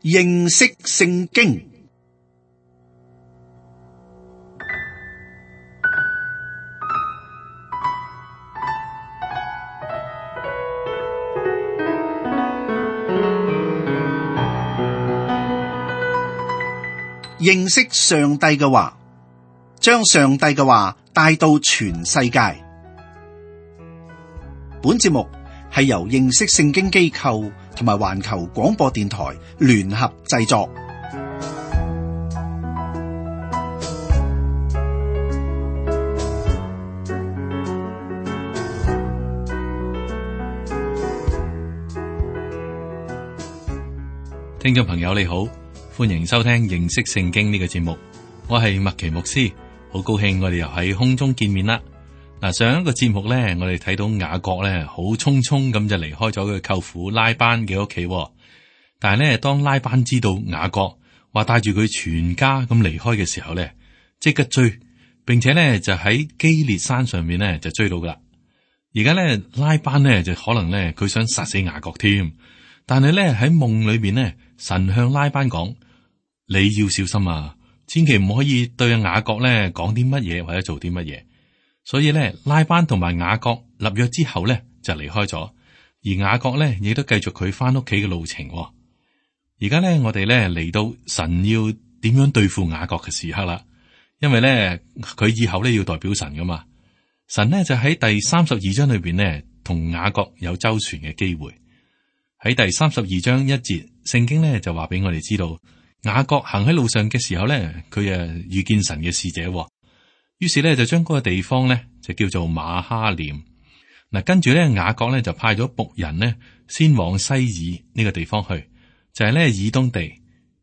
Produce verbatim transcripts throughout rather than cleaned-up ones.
認識聖經。認識上帝嘅話，將上帝嘅話帶到全世界。本節目係由認識聖經機構同埋環球廣播電台聯合製作。聽眾朋友你好，歡迎收聽認識聖經呢個節目，我係麥奇牧師，好高興我哋又喺空中見面啦。嗱，上一個節目咧，我哋睇到雅各咧好匆匆咁就離開咗佢舅父拉班嘅屋企，但係咧當拉班知道雅各話帶住佢全家咁離開嘅時候咧，即刻追，並且咧就喺基列山上面咧就追到噶啦。而家咧拉班咧就可能咧佢想殺死雅各添，但係咧喺夢裏邊咧，神向拉班講：你要小心啊，千祈唔可以對雅各咧講啲乜嘢或者做啲乜嘢。所以咧，拉班同埋雅各立約之後咧就離開咗，而雅各咧亦都繼續佢翻屋企嘅路程。而家咧，我哋咧嚟到神要點樣對付雅各嘅時刻啦，因為咧佢以後咧要代表神噶嘛。神咧就喺第三十二章裏邊咧同雅各有周旋嘅機會。喺第三十二章一節，聖經咧就話俾我哋知道，雅各行喺路上嘅時候咧，佢誒遇見神嘅使者。於是咧就將嗰個地方咧就叫做馬哈念。嗱，跟住咧雅各咧就派咗僕人呢先往西珥呢個地方去，就係咧以東地，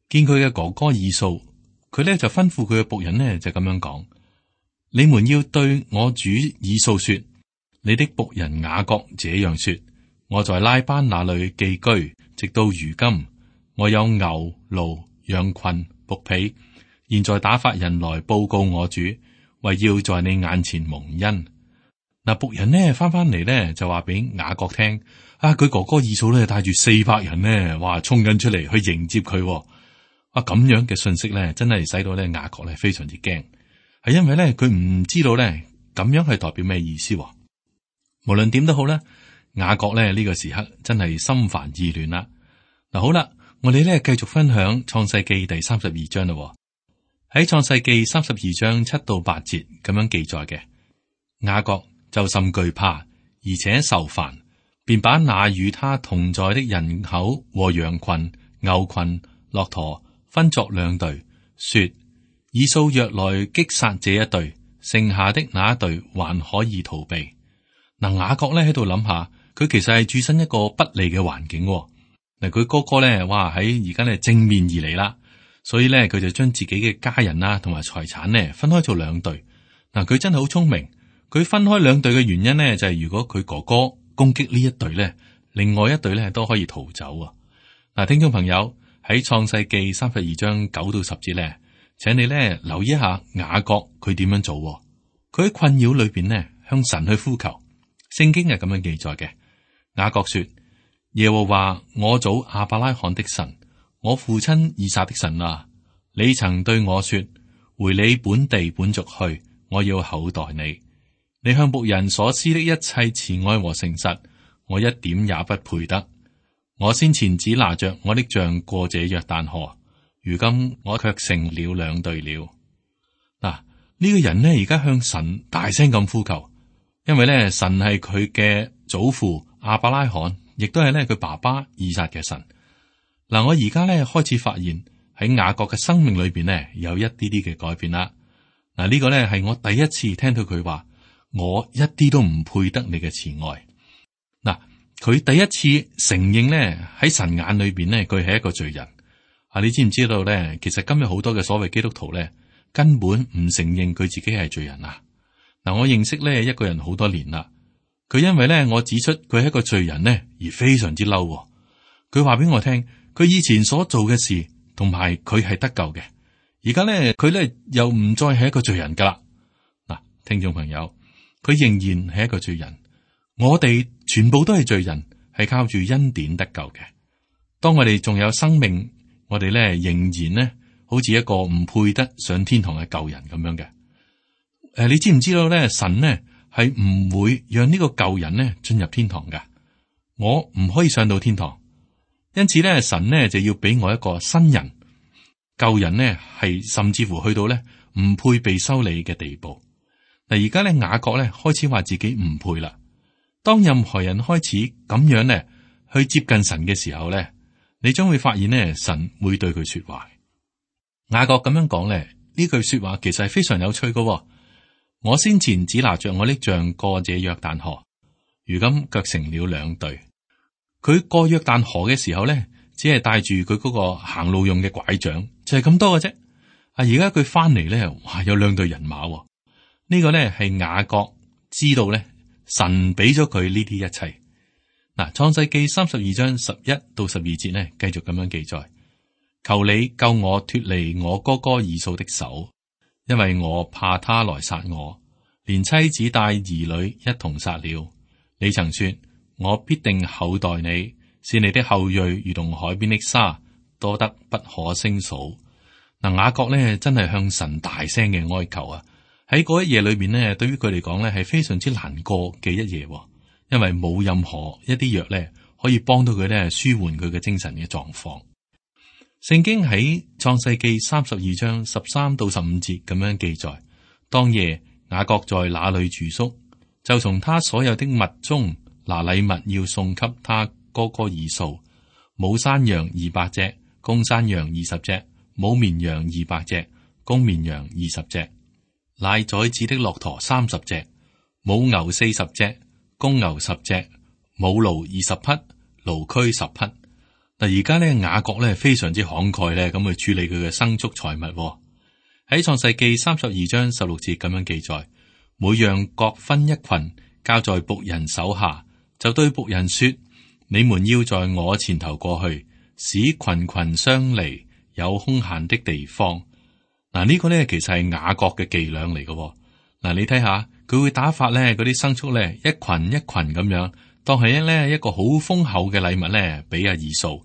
見佢嘅哥哥以掃。佢咧就吩咐佢嘅僕人呢就咁樣講：你們要對我主以掃說，你的僕人雅各這樣說：我在拉班那裏寄居，直到如今，我有牛、驢、羊群、僕婢，現在打發人來報告我主，為要在你眼前蒙恩。嗱，僕人呢翻翻嚟呢就話俾雅各聽，啊，佢哥哥以掃咧帶住四百人呢，哇，衝緊出嚟去迎接佢。啊，咁樣嘅信息咧，真係使到咧雅各咧非常之驚，係因為咧佢唔知道咧咁樣係代表咩意思。無論點都好咧，雅各咧呢個時刻真係心煩意亂啦。嗱，好啦，我哋咧繼續分享創世記第三十二章啦。喺創世記三十二章七到八節咁樣記載嘅，雅各就甚懼怕，而且受煩，便把那與他同在的人口和羊群、牛群、駱駝分作兩隊，說：以掃若來擊殺這一隊，剩下的那一隊還可以逃避。嗱，雅各咧喺度諗下，佢其實係處身一個不利嘅環境。嗱，佢哥哥咧，哇喺而家咧正面而嚟啦。所以咧，佢就將自己嘅家人啊，同埋財產咧分開做兩隊。嗱，佢真係好聰明。佢分開兩隊嘅原因咧，就係如果佢哥哥攻擊呢一隊咧，另外一隊咧都可以逃走啊。嗱，聽眾朋友喺創世記三十二章九到十節咧，請你咧留意一下雅各佢點樣做。佢喺困擾裏邊咧向神去呼求。聖經係咁樣記載嘅。雅各說：耶和華我祖亞伯拉罕的神，我父親以撒的神啊，你曾對我說：回你本地本族去，我要厚待你。你向僕人所施的一切慈愛和誠實，我一點也不配得。我先前只拿着我的杖過這約旦河，如今我卻成了兩隊了。嗱，呢個人呢而家向神大聲咁呼求，因為咧神係佢嘅祖父亞伯拉罕，亦都係咧佢爸爸以撒嘅神。嗱，我而家咧開始發現喺雅各嘅生命裏邊咧有一啲啲嘅改變啦。嗱，呢個咧係我第一次聽到佢話，我一啲都唔配得你嘅慈愛。嗱，佢第一次承認咧喺神眼裏邊咧佢係一個罪人。啊，你知唔知道咧？其實今日好多嘅所謂基督徒咧根本唔承認佢自己係罪人啊。嗱，我認識咧一個人好多年啦，佢因為咧我指出佢係一個罪人咧而非常之嬲。佢話俾我聽。佢以前所做嘅事，同埋佢係得救嘅。而家咧，佢咧又唔再係一個罪人噶啦。嗱，聽眾朋友，佢仍然係一個罪人。我哋全部都係罪人，係靠住恩典得救嘅。當我哋仲有生命，我哋咧仍然咧好似一個唔配得上天堂嘅舊人咁樣嘅。誒、呃，你知唔知道咧？神呢係唔會讓呢個舊人呢進入天堂嘅。我唔可以上到天堂，因此咧神呢就要俾我一個新人。舊人呢係甚至乎去到咧唔配被修理嘅地步。嗱，而家咧雅各咧開始話自己唔配啦。當任何人開始咁樣咧去接近神嘅時候咧，你將會發現咧神會對佢說話。雅各咁樣講咧，呢句說話其實係非常有趣嘅。我先前只拿着我的杖過這約旦河，如今卻成了兩隊。佢過約旦河嘅時候咧，只係帶住佢嗰個行路用嘅拐杖，就係咁多嘅啫。啊，而家佢翻嚟咧，哇，有兩隊人馬。呢個咧係雅各知道咧，神俾咗佢呢啲一切。嗱，創世記三十二章十一到十二節呢，繼續咁樣記載：求你救我脫離我哥哥以掃的手，因為我怕他來殺我，連妻子帶兒女一同殺了。你曾說，我必定厚待你，使你的後裔如同海邊的沙，多得不可勝數。嗱，雅各咧真係向神大聲嘅哀求啊！喺嗰一夜裏邊呢，對於佢嚟講咧係非常之難過嘅一夜，因為冇任何一啲藥咧可以幫到佢咧舒緩佢嘅精神嘅狀況。聖經喺創世記三十二章十三到十五節咁樣記載：當夜雅各在那裏住宿，就從他所有的物中拿禮物要送給他哥哥以掃，母山羊二百隻，公山羊二十隻，母綿羊二百隻，公綿羊二十隻。奶崽子的駱駝三十隻，母牛四十隻，公牛十隻，母驢二十匹，驢駒十匹。嗱，而家咧雅各咧非常之慷慨咧，咁去處理佢嘅牲畜財物。喺創世記三十二章十六節咁樣記載：每樣各分一群，交在僕人手下，就對僕人說：你們要在我前頭過去，使群群相離，有空閒的地方。嗱，呢個咧其實係雅各嘅伎倆嚟嘅。嗱，你睇下佢會打發咧嗰啲牲畜咧一群一群咁樣，當係咧一個好豐厚嘅禮物咧俾阿以掃。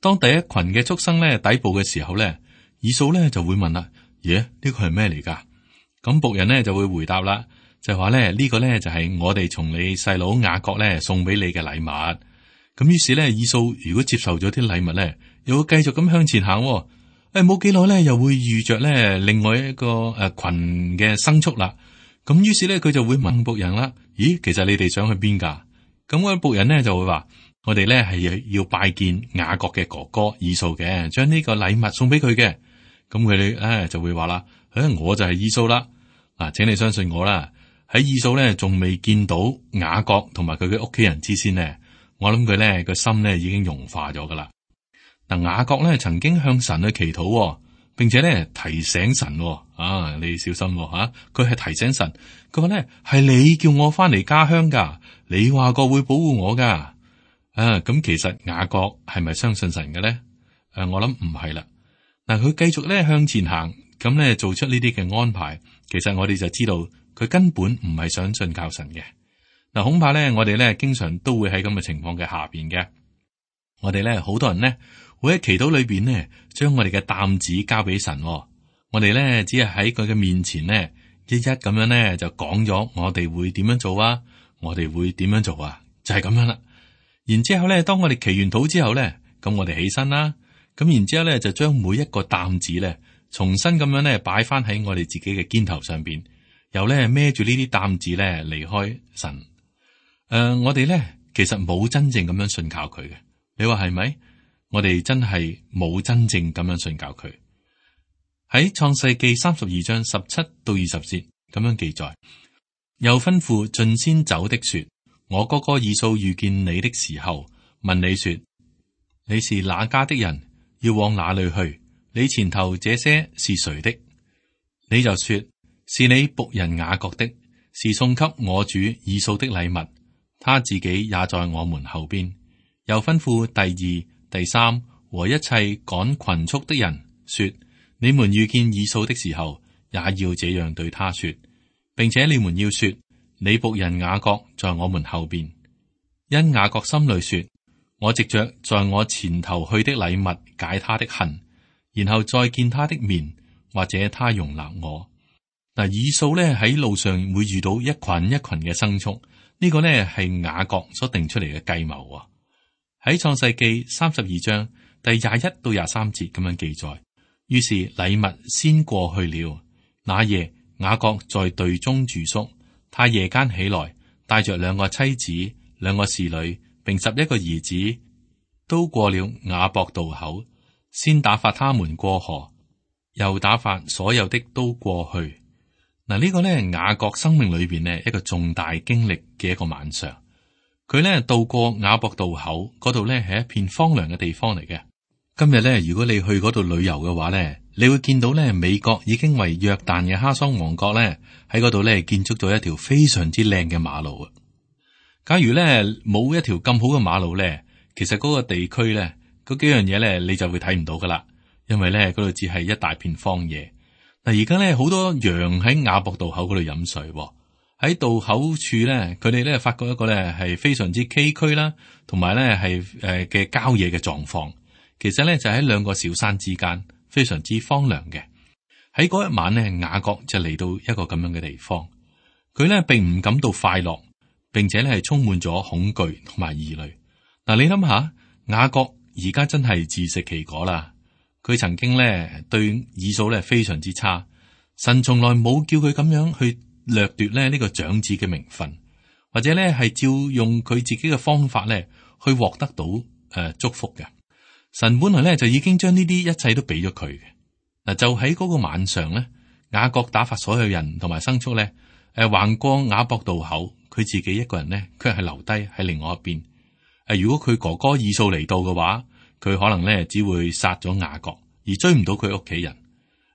當第一群嘅畜生咧抵步嘅時候咧，以掃咧就會問啦：耶，呢個係咩嚟噶？咁僕人咧就會回答啦，就話咧呢個咧就係我哋從你細佬雅各咧送俾你嘅禮物。咁於是咧以掃如果接受咗啲禮物咧，又會繼續咁向前行。誒，冇幾耐咧，又會遇着咧另外一個誒群嘅牲畜啦。咁於是咧，佢就會問僕人啦：咦，其實你哋想去邊噶？咁個僕人咧就會話：我哋咧係要拜見雅各嘅哥哥以掃嘅，將呢個禮物送俾佢嘅。咁佢哋咧就會話啦：誒，我就係以掃啦。嗱，請你相信我啦。喺以掃咧仲未見到雅各同埋佢嘅屋企人之先呢，我諗佢咧個心咧已經融化咗噶啦。嗱，雅各咧曾經向神去祈禱，並且咧提醒神，啊，你小心吓，佢係提醒神，佢話咧係你叫我翻嚟家鄉噶，你話過會保護我噶，啊，咁其實雅各係咪相信神嘅咧？誒、啊，我諗唔係啦。嗱，佢繼續咧向前行，咁咧做出呢啲嘅安排，其實我哋就知道佢根本唔係想信靠神嘅。嗱，恐怕咧我哋咧經常都會喺咁嘅情況嘅下邊嘅，我哋咧好多人咧。會喺祈禱裏邊呢，將我哋嘅擔子交俾神。我哋咧只係喺佢嘅面前呢，一一咁樣咧就講咗我哋會點樣做啊，我哋會點樣做啊，就係咁樣啦。然之後咧，當我哋祈完禱之後咧，咁我哋起身啦，咁然之後咧就將每一個擔子咧重新咁樣咧擺翻喺我哋自己嘅肩頭上邊，又咧孭住呢啲擔子咧離開神。誒、呃，我哋咧其實冇真正咁樣信靠佢嘅，你話係咪？我哋真係冇真正咁樣信教佢。喺創世記三十二章十七到二十節咁樣記載，又吩咐進先走的說：我哥哥以掃遇見你的時候，問你說：你是哪家的人？要往哪裏去？你前頭這些是誰的？你就說：是你僕人雅各的，是送給我主以掃的禮物，他自己也在我們後邊。又吩咐第二、第三和一切趕群畜的人說：你們遇見以掃的時候，也要這樣對他說，並且你們要說：你僕人雅各在我們後邊。因雅各心裏說：我藉着在我前頭去的禮物解他的恨，然後再見他的面，或者他容納我。嗱，以掃咧喺路上會遇到一群一群嘅牲畜，呢、這個呢係雅各所定出嚟嘅計謀啊。喺創世記三十二章第廿一到廿三節咁樣記載，於是禮物先過去了。那夜雅各在隊中住宿，他夜間起來，帶着兩個妻子、兩個侍女，並十一個兒子，都過了雅博渡口，先打發他們過河，又打發所有的都過去。嗱，呢個呢雅各生命裏邊呢一個重大經歷嘅一個晚上，佢呢渡過雅博渡口嗰度呢係一片荒涼嘅地方嚟嘅。今日呢，如果你去嗰度旅遊嘅話呢，你會見到呢美國已經為約旦嘅哈桑王國呢喺嗰度呢建築咗一條非常之靚嘅馬路啊。假如呢冇一條咁好嘅馬路呢，其實嗰個地區呢嗰幾樣嘢呢你就會睇唔到噶啦，因為呢嗰度只係一大片荒野。嗱，而家咧好多羊喺雅博渡口嗰度飲水，喺渡口處咧，佢哋咧發覺一個咧係非常之崎嶇啦，同埋咧係誒嘅郊野嘅狀況。其實咧就喺兩個小山之間，非常之荒涼嘅。喺嗰一晚咧，雅各就嚟到一個咁樣嘅地方，佢咧並唔感到快樂，並且咧係充滿咗恐懼同埋疑慮。嗱，你諗下，雅各而家真係自食其果啦。佢曾經咧對以掃咧非常之差，神從來冇叫佢咁樣去掠奪咧呢個長子嘅名分，或者咧係照用佢自己嘅方法咧去獲得到誒、呃、祝福嘅。神本來咧就已經將呢啲一切都俾咗佢嘅。嗱，就喺嗰個晚上咧，雅各打發所有人同埋牲畜咧誒橫過雅博渡口，佢自己一個人咧卻係留低喺另外一邊。誒、呃，如果佢哥哥以掃嚟到嘅話，佢可能咧只會殺咗雅各，而追唔到佢屋企人，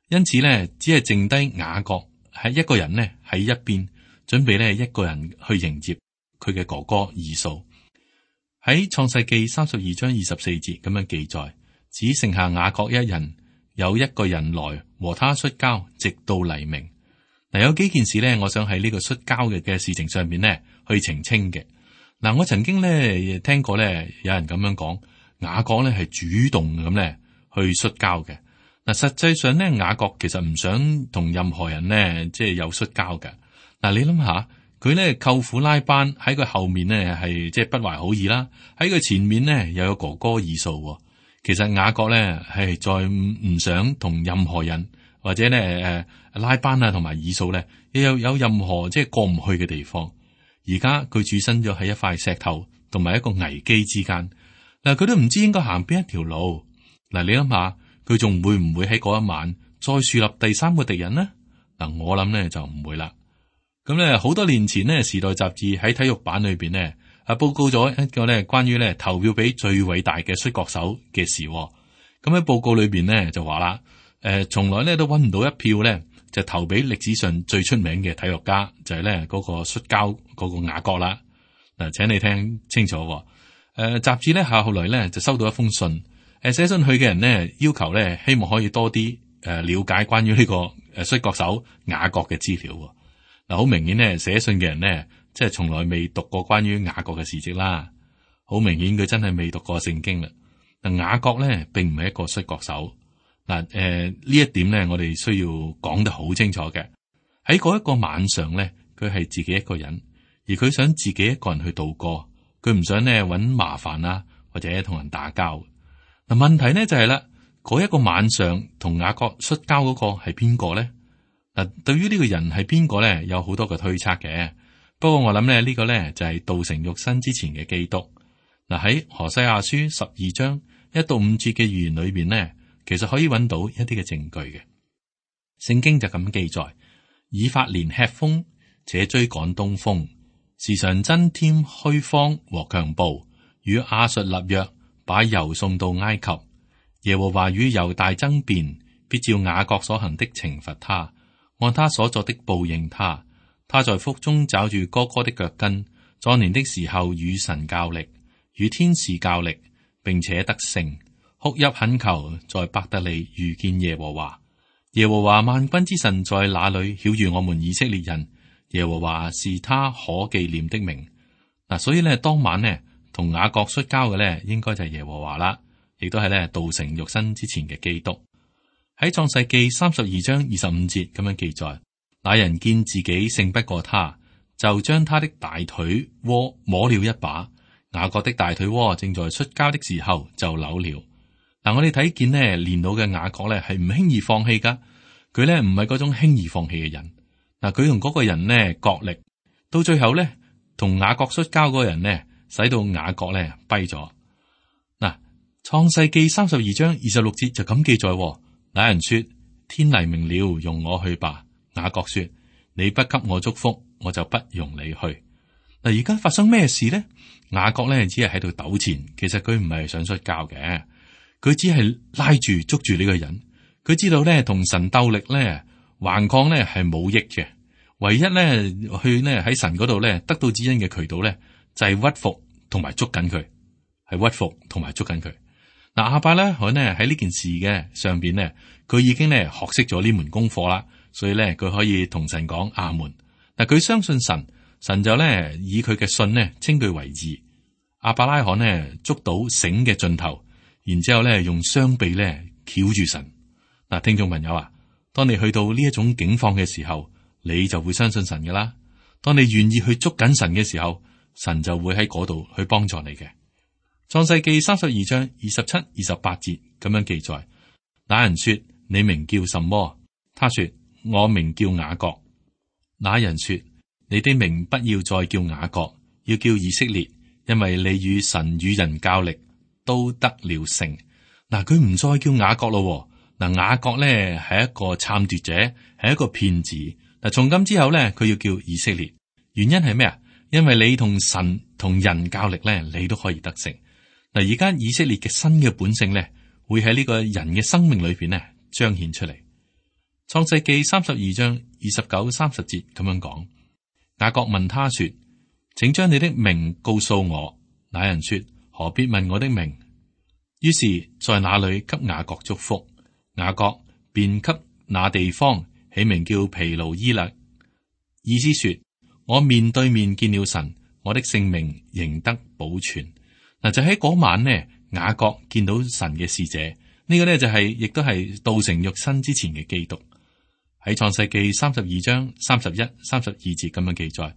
因此咧只係剩低雅各喺一個人呢喺一邊，準備咧一個人去迎接佢嘅哥哥以掃。喺創世記三十二章二十四節咁樣記載，只剩下雅各一人，有一個人來和他摔跤，直到黎明。嗱，有幾件事咧，我想喺呢個摔跤嘅嘅事情上面呢去澄清嘅。嗱，我曾經咧聽過咧有人咁樣講。雅各咧係主動咁咧去摔跤嘅。嗱，實際上咧雅各其實唔想同任何人咧即係有摔跤嘅。嗱，你諗下，佢咧舅父拉班喺佢後面咧係即係不懷好意啦，喺佢前面咧又有哥哥以掃。其實雅各咧係再唔唔想同任何人或者咧誒拉班啊同埋以掃咧又有有任何即係過唔去嘅地方。而家佢處身咗喺一塊石頭同埋一個危機之間。嗱，佢都唔知應該行邊一條路。嗱，你諗下，佢仲會唔會喺嗰一晚再樹立第三個敵人呢？嗱，我諗咧就唔會啦。咁咧，好多年前呢，《時代雜誌》喺體育版裏邊呢，啊報告咗一個咧關於咧投票俾最偉大嘅摔角手嘅事。咁喺報告裏邊呢，就話啦，誒、呃，從來咧都揾唔到一票咧就投俾歷史上最出名嘅體育家，就係咧嗰個摔跤嗰個雅各啦。嗱，請你聽清楚。誒、呃，雜誌咧後來咧就收到一封信，誒、呃，寫信去嘅人呢，要求咧希望可以多啲誒、呃、了解關於呢個誒摔角手雅各嘅資料。嗱、呃，好明顯咧寫信嘅人呢，即係從來未讀過關於雅各嘅事蹟啦。好明顯佢真係未讀過聖經啦。嗱、呃，雅各咧並唔係一個摔角手。嗱、呃，誒呢一點咧我哋需要講得好清楚嘅。喺嗰一個晚上咧，佢係自己一個人，而佢想自己一個人去度過。佢唔想咧搵麻煩啊，或者同人打交。嗱，問題呢就係啦，嗰一個晚上同雅各摔跤嗰個係邊個咧？嗱，對於呢個人係邊個咧，有好多嘅推測嘅。不過我諗咧呢個咧就係道成肉身之前嘅基督。嗱，喺何西阿書十二章一到五節嘅預言裏邊呢，其實可以搵到一啲嘅證據嘅。聖經就咁記載：以法蓮吃風，且追趕東風。時常增添虛謊和強暴，與亞述立約，把油送到埃及。耶和華與猶大爭辯，必照雅各所行的懲罰他，按他所作的報應他。他在腹中抓住哥哥的腳跟，壯年的時候與神較力，與天使較力，並且得勝。哭泣懇求，在伯特利遇見耶和華。耶和華萬軍之神在那裏曉諭我們以色列人。耶和華是他可紀念的名。嗱，所以咧當晚呢，同雅各摔跤嘅咧，應該就係耶和華啦，亦都係咧道成肉身之前嘅基督。喺創世記三十二章二十五節咁樣記載，那人見自己勝不過他，就將他的大腿窩摸了一把。雅各的大腿窩正在摔跤的時候就扭了。嗱，我哋睇見呢練到嘅雅各咧係唔輕易放棄噶，佢咧唔係嗰種輕易放棄嘅人。嗱，佢同嗰個人呢角力，到最後咧同雅各摔跤嗰個人呢，使到雅各咧跛咗。嗱，創世記三十二章二十六節就咁記載。那人說：天黎明了，容我去吧。雅各說：你不給我祝福，我就不容你去。嗱，而家發生咩事呢？雅各咧只係喺度糾纏，其實佢唔係想摔跤嘅，佢只係拉住捉住呢個人。佢知道咧同神鬥力咧橫抗咧係冇益嘅，唯一咧去咧喺神嗰度咧得到指引嘅渠道咧就係屈服同埋捉緊佢，係屈服同埋捉緊佢。嗱，亞伯拉罕咧喺呢件事嘅上邊咧，佢已經咧學識咗呢門功課啦，所以咧佢可以同神講阿門。嗱，佢相信神，神就咧以佢嘅信咧稱佢為義。亞伯拉罕咧捉到繩嘅盡頭，然之後咧用雙臂咧翹住神。嗱，聽眾朋友啊，當你去到呢一種境況嘅時候，你就會相信神噶啦。當你願意去捉緊神嘅時候，神就會喺嗰度去幫助你嘅。創世記三十二章二十七、二十八節咁樣記載，那人說：你名叫什麼？他說：我名叫雅各。那人說：你的名不要再叫雅各，要叫以色列，因為你與神與人較力，都得了勝。嗱，佢唔再叫雅各咯。嗱，雅各咧係一個參奪者，係一個騙子。嗱，從今之後咧，佢要叫以色列。原因係咩啊？因為你同神同人較力咧，你都可以得勝。嗱，而家以色列嘅新嘅本性咧，會喺呢個人嘅生命裏邊咧彰顯出嚟。創世記三十二章二十九、三十節咁樣講。雅各問他說：請將你的名告訴我。那人說：何必問我的名？於是，在那裏給雅各祝福。雅各便給那地方起名叫毗努伊勒，意思說：我面對面見了神，我的性命仍得保存。嗱，就喺嗰晚呢，雅各見到神嘅使者，呢、這個呢就係、是、亦都係道成肉身之前嘅基督。喺創世記三十二章三十一、三十二節咁樣記載：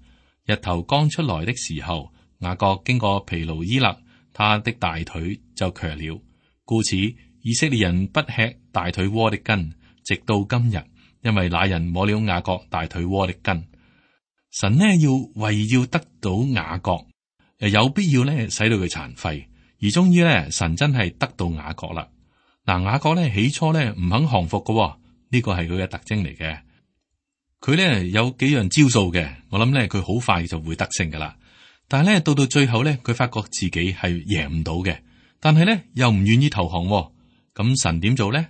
日頭剛出來的時候，雅各經過毗努伊勒，他的大腿就瘸了，故此以色列人不吃大腿窩的筋，直到今日，因為那人摸了雅各大腿窩的筋。神呢要為要得到雅各。誒，有必要咧，使到佢殘廢，而終於咧，神真係得到雅各啦。嗱，雅各咧起初咧唔肯降服嘅，呢個係佢嘅特徵嚟嘅。佢咧有幾樣招數嘅，我諗咧佢好快就會得勝噶啦。但係咧到到最後咧，佢發覺自己係贏唔到嘅，但係咧又唔願意投降。咁神點做咧？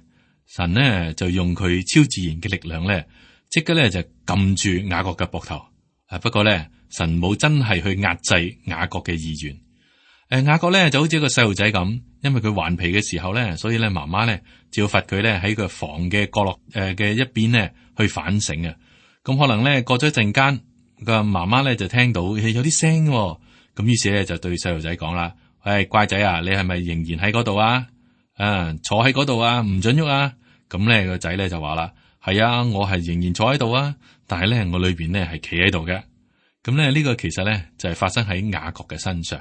神呢就用佢超自然嘅力量咧，即刻咧就撳住雅各嘅膊頭。啊，不過咧。神冇真係去壓制雅各嘅意願。誒、呃，雅各咧就好似一個細路仔咁，因為佢頑皮嘅時候咧，所以咧媽媽咧就要罰佢咧喺個房嘅角落誒嘅一邊咧去反省啊。咁可能咧過咗一陣間，個媽媽咧就聽到有啲聲，咁於是咧就對細路仔講啦：誒，乖仔啊，你係咪仍然喺嗰度啊？啊，坐喺嗰度啊，唔准喐啊！咁咧個仔咧就話啦：係啊，我係仍然坐喺度啊，但係咧我裏邊咧係企喺度嘅。咁咧呢個其實咧就係發生喺雅各嘅身上。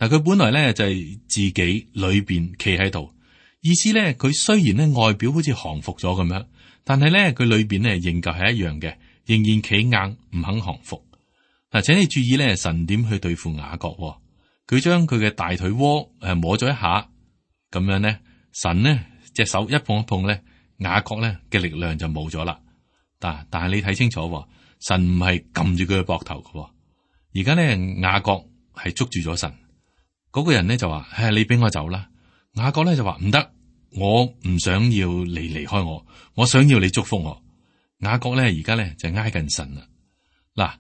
嗱，佢本來咧就係自己裏邊企喺度，意思咧佢雖然咧外表好似降服咗咁樣，但係咧佢裏邊咧仍舊係一樣嘅，仍然企硬唔肯降服。嗱，請你注意咧，神點去對付雅各？佢將佢嘅大腿窩誒摸咗一下，咁樣咧，神呢隻手一碰一碰咧，雅各咧嘅力量就冇咗啦。但但係你睇清楚。神唔係撳住佢嘅膊頭嘅，而家咧雅各係捉住咗神。嗰、那個人咧就話：唉，你俾我走啦。雅各咧就話：唔得，我唔想要你離開我，我想要你祝福我。雅各咧而家咧就挨近神啦。嗱，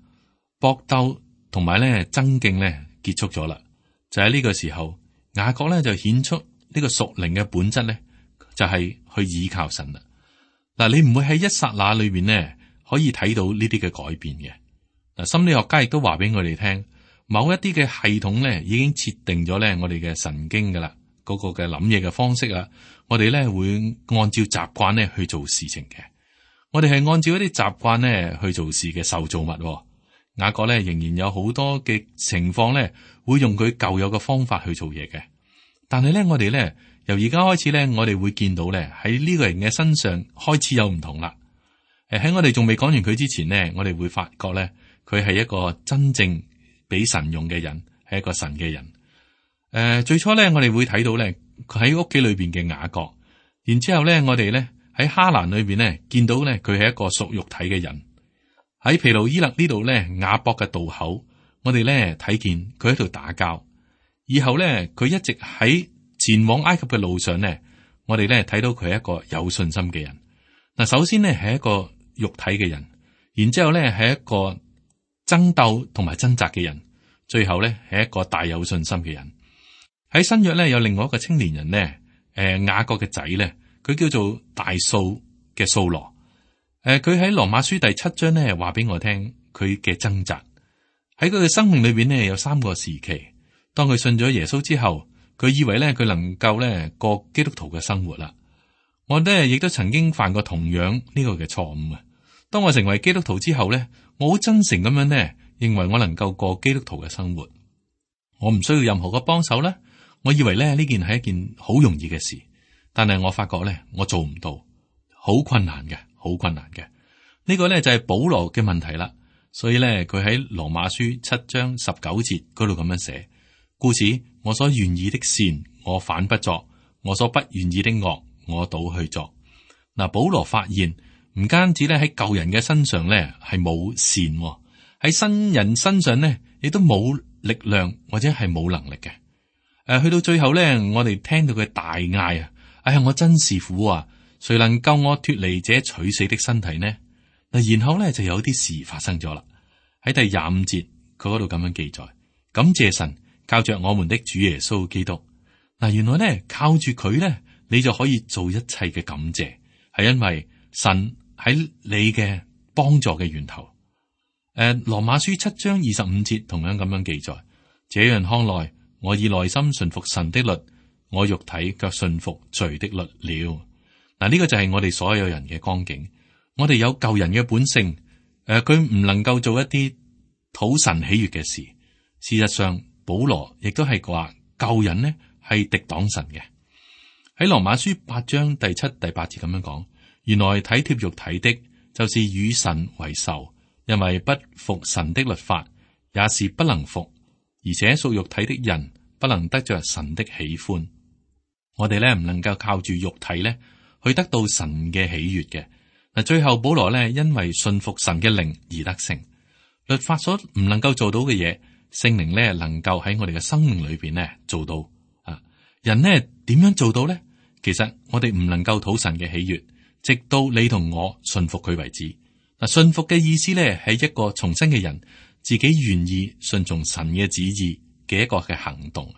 搏鬥同埋咧爭競咧結束咗啦。就喺呢個時候，雅各咧就顯出呢個屬靈嘅本質咧，就係、是、去倚靠神啦。嗱，你唔會喺一剎那裏邊咧。可以睇到呢啲嘅改變嘅。嗱，心理學家亦都話俾我哋聽，某一啲嘅系統咧已經設定咗咧我哋嘅神經噶啦，嗰個嘅諗嘢嘅方式啊，我哋咧會按照習慣咧去做事情嘅。我哋係按照一啲習慣咧去做事嘅受造物。雅各咧仍然有好多嘅情況咧會用佢舊有嘅方法去做嘢嘅，但係咧我哋咧由而家開始咧，我哋會見到咧喺呢個人嘅身上開始有唔同啦。誒喺我哋仲未講完佢之前呢，我哋會發覺咧佢係一個真正俾神用嘅人，係一個神嘅人。誒、呃、最初咧我哋會睇到咧佢喺屋企裏邊嘅雅各，然之後咧我哋咧喺哈蘭裏邊咧見到咧佢係一個屬肉體嘅人。喺毗努伊勒呢度咧，雅博嘅渡口，我哋咧睇見佢喺度打交。以後咧，佢一直喺前往埃及嘅路上咧，我哋咧睇到佢係一個有信心嘅人。嗱，首先咧係一個肉體嘅人，然之後咧係一個爭鬥同埋掙扎嘅人，最後咧係一個大有信心嘅人。喺新約咧有另外一個青年人咧，誒雅各嘅仔咧，佢叫做大掃嘅掃羅。誒，佢喺羅馬書第七章咧話俾我聽佢嘅掙扎。喺佢嘅生命裏邊呢，有三個時期。當佢信咗耶穌之後，佢以為咧佢能夠咧過基督徒嘅生活啦。我咧亦都曾經犯過同樣呢個嘅錯誤啊。當我成為基督徒之後咧，我好真誠咁樣咧認為我能夠過基督徒嘅生活，我唔需要任何嘅幫手咧。我以為咧呢件係一件好容易嘅事，但係我發覺咧我做唔到，好困難嘅。好困難嘅，呢個咧就係保羅嘅問題啦。所以咧，佢喺羅馬書七章十九節嗰度咁樣寫：故此，我所願意的善，我反不作；我所不願意的惡，我倒去作。嗱，保羅發現唔單止咧喺舊人嘅身上咧係冇善，喺新人身上咧亦都冇力量或者係冇能力嘅。誒，去到最後咧，我哋聽到佢大嗌啊！哎呀，我真是苦啊！誰能救我脫離這取死的身體呢？嗱，然後咧就有啲事發生咗啦。喺第廿五節，佢嗰度咁樣記載：感謝神，靠着我們的主耶穌基督。嗱，原來咧靠住佢咧，你就可以做一切嘅感謝，係因為神喺你嘅幫助嘅源頭。誒、呃，羅馬書七章二十五節同樣咁樣記載：這樣看來，我以內心順服神的律，我肉體卻順服罪的律了。嗱，呢個就係我哋所有人嘅光景。我哋有舊人嘅本性，誒、呃，佢唔能夠做一啲討神喜悅嘅事。事實上，保羅亦都係話舊人呢係敵擋神嘅。喺羅馬書八章第七、第八節咁樣講，原來體貼肉體的，就是與神為仇，因為不服神的律法，也是不能服，而且屬肉體的人不能得着神的喜歡。我哋咧唔能夠靠住肉體咧。去得到神嘅喜悅嘅。嗱，最後保羅咧因為信服神嘅靈而得勝。律法所唔能夠做到嘅嘢，聖靈咧能夠喺我哋嘅生命裏邊咧做到。啊，人呢點樣做到咧？其實我哋唔能夠討神嘅喜悅，直到你同我信服佢為止。嗱，信服嘅意思咧係一個重生嘅人自己願意順從神嘅旨意嘅一個嘅行動。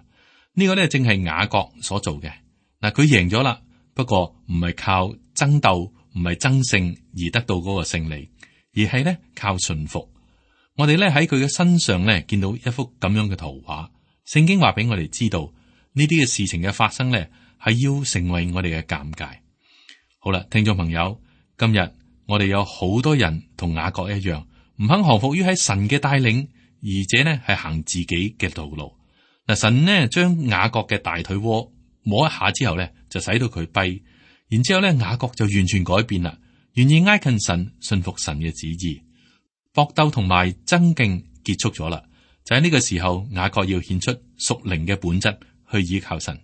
呢個咧正係雅各所做嘅。嗱，佢贏咗啦。不過唔係靠爭鬥，唔係爭勝而得到嗰個勝利，而係咧靠順服。我哋咧喺佢嘅身上咧見到一幅咁樣嘅圖畫。聖經話俾我哋知道呢啲嘅事情嘅發生咧係要成為我哋嘅鑒戒。好啦，聽眾朋友，今日我哋有好多人同雅各一樣，唔肯降服於喺神嘅帶領，而且呢係行自己嘅道路。嗱，神呢將雅各嘅大腿窩摸一下之後咧，就使到佢跛，然之後咧雅各就完全改變啦，願意挨近神，信服神嘅旨意，搏鬥同埋爭競結束咗啦。就喺呢個時候，雅各要顯出屬靈嘅本質去依靠神。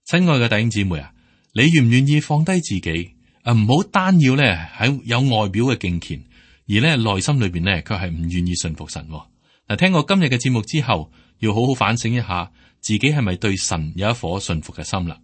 親愛嘅弟兄姊妹啊，你願唔願意放低自己啊？唔好單要咧喺有外表嘅敬虔，而咧內心裏邊咧卻係唔願意信服神。嗱，聽過今日嘅節目之後，要好好反省一下。自己係咪對神有一顆信服嘅心啦？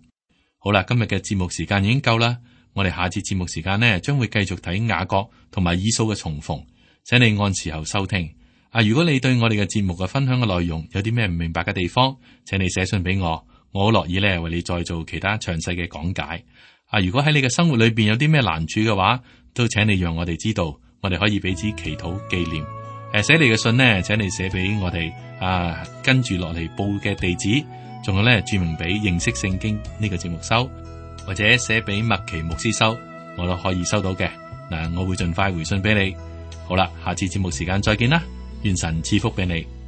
好啦，今日嘅節目時間已經夠啦，我哋下次節目時間呢，將會繼續睇雅各同埋以掃嘅重逢，請你按時候收聽。啊，如果你對我哋嘅節目嘅分享嘅內容有啲咩唔明白嘅地方，請你寫信俾我，我好樂意咧為你再做其他詳細嘅講解。啊，如果喺你嘅生活裏邊有啲咩難處嘅話，都請你讓我哋知道，我哋可以彼此祈禱紀念。誒，寫你嘅信呢，請你寫俾我哋啊，跟住落嚟報嘅地址，仲有咧注明俾認識聖經呢個節目收，或者寫俾麥奇牧師收，我都可以收到嘅。嗱，我會盡快回信俾你。好啦，下次節目時間再見啦，願神賜福俾你。